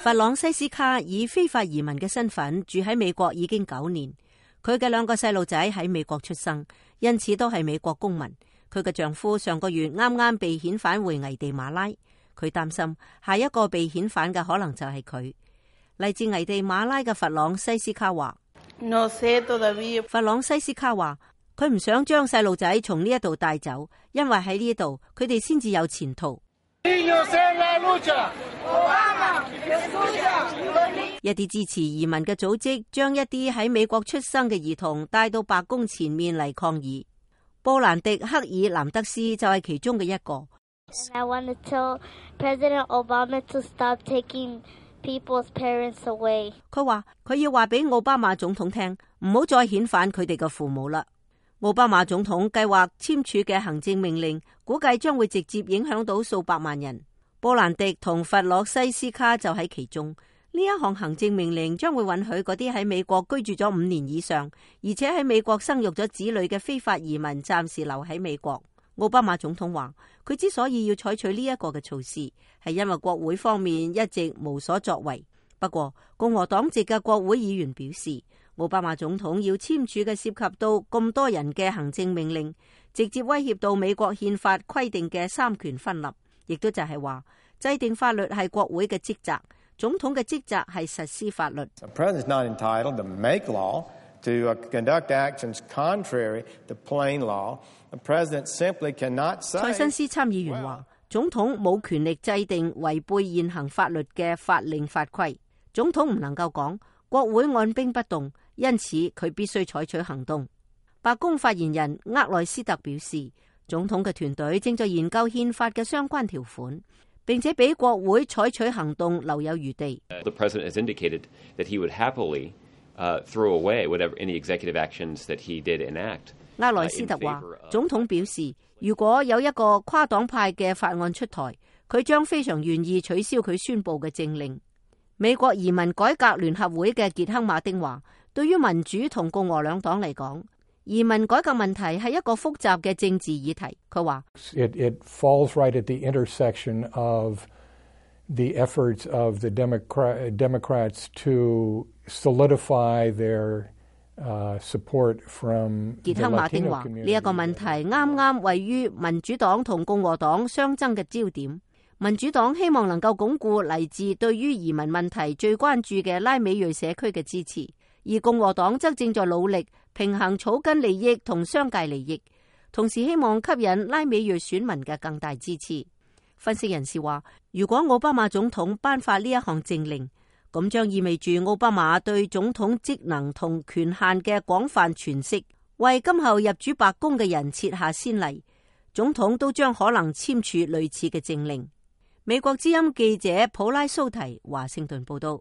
弗朗西斯卡以非法移民嘅身份住喺美國已經9年，佢嘅2個細路仔喺美國出生，因此都係美國公民。佢嘅丈夫上個月啱啱被遣返回危地馬拉，佢擔心下一個被遣返嘅可能就係佢。嚟自危地馬拉嘅弗朗西斯卡話，弗朗西斯卡話佢唔想將細路仔從呢一度帶走，因為喺呢度佢哋先至有前途。一啲支持移民嘅組織將一啲喺美國出生嘅兒童帶到白宮前面嚟抗議。布蘭迪克爾南德斯就係其中嘅一個。I want to tell President Obama to stop taking people's parents away. 佢話佢要話俾奧巴馬總統聽，唔好再遣返佢哋嘅父母啦。奧巴馬總統計劃簽署嘅行政命令，估計將會直接影響到數百萬人。布蘭迪同弗洛西斯卡就喺其中。呢一項行政命令將會允許嗰啲喺美國居住咗5年以上，而且喺美國生育咗子女嘅非法移民暫時留喺美國。奧巴馬總統話，佢之所以要採取呢一個嘅措施，係因為國會方面一直無所作為。不過，共和黨籍嘅國會議員表示，奧巴馬總統要簽署嘅涉及到咁多人嘅行政命令，直接威脅到美國憲法規定嘅3權分立，亦都就係話制定法律係國會嘅職責。總統嘅職責係實施法律。塞申斯參議員話，總統冇權力制定違背現行法律嘅法令法規。總統唔能夠講國會按兵不動，因此佢必須採取行動。白宮發言人厄萊斯特表示，總統嘅團隊正在研究憲法嘅相關條款，並且俾國會採取行動留有餘地。The president has indicated that he would happily throw away whatever any executive actions that he did enact. 厄萊斯特話，總統表示，如果有一個跨黨派嘅法案出台，佢將非常願意取消佢宣布嘅政令。美國移民改革聯合會嘅傑克馬丁話，對於民主同共和兩黨嚟講，移民改革問題係一個複雜嘅政治議題。佢話，It falls right at the intersection of the efforts of the Democrats to solidify their support from the Latino community. 傑克馬丁話，呢一個問題啱啱位於民主黨同共和黨相爭嘅焦點。民主黨希望能夠鞏固嚟自對於移民問題最關注嘅拉美裔社區嘅支持，而共和黨則正在努力平衡草根利益同商界利益，同時希望吸引拉美裔選民嘅更大支持。分析人士話，如果奧巴馬總統頒發呢一項政令，咁將意味住奧巴馬對總統職能同權限嘅廣泛詮釋，為今後入主白宮嘅人設下先例。總統都將可能簽署類似嘅政令。美國之音記者普拉蘇提華盛頓報道。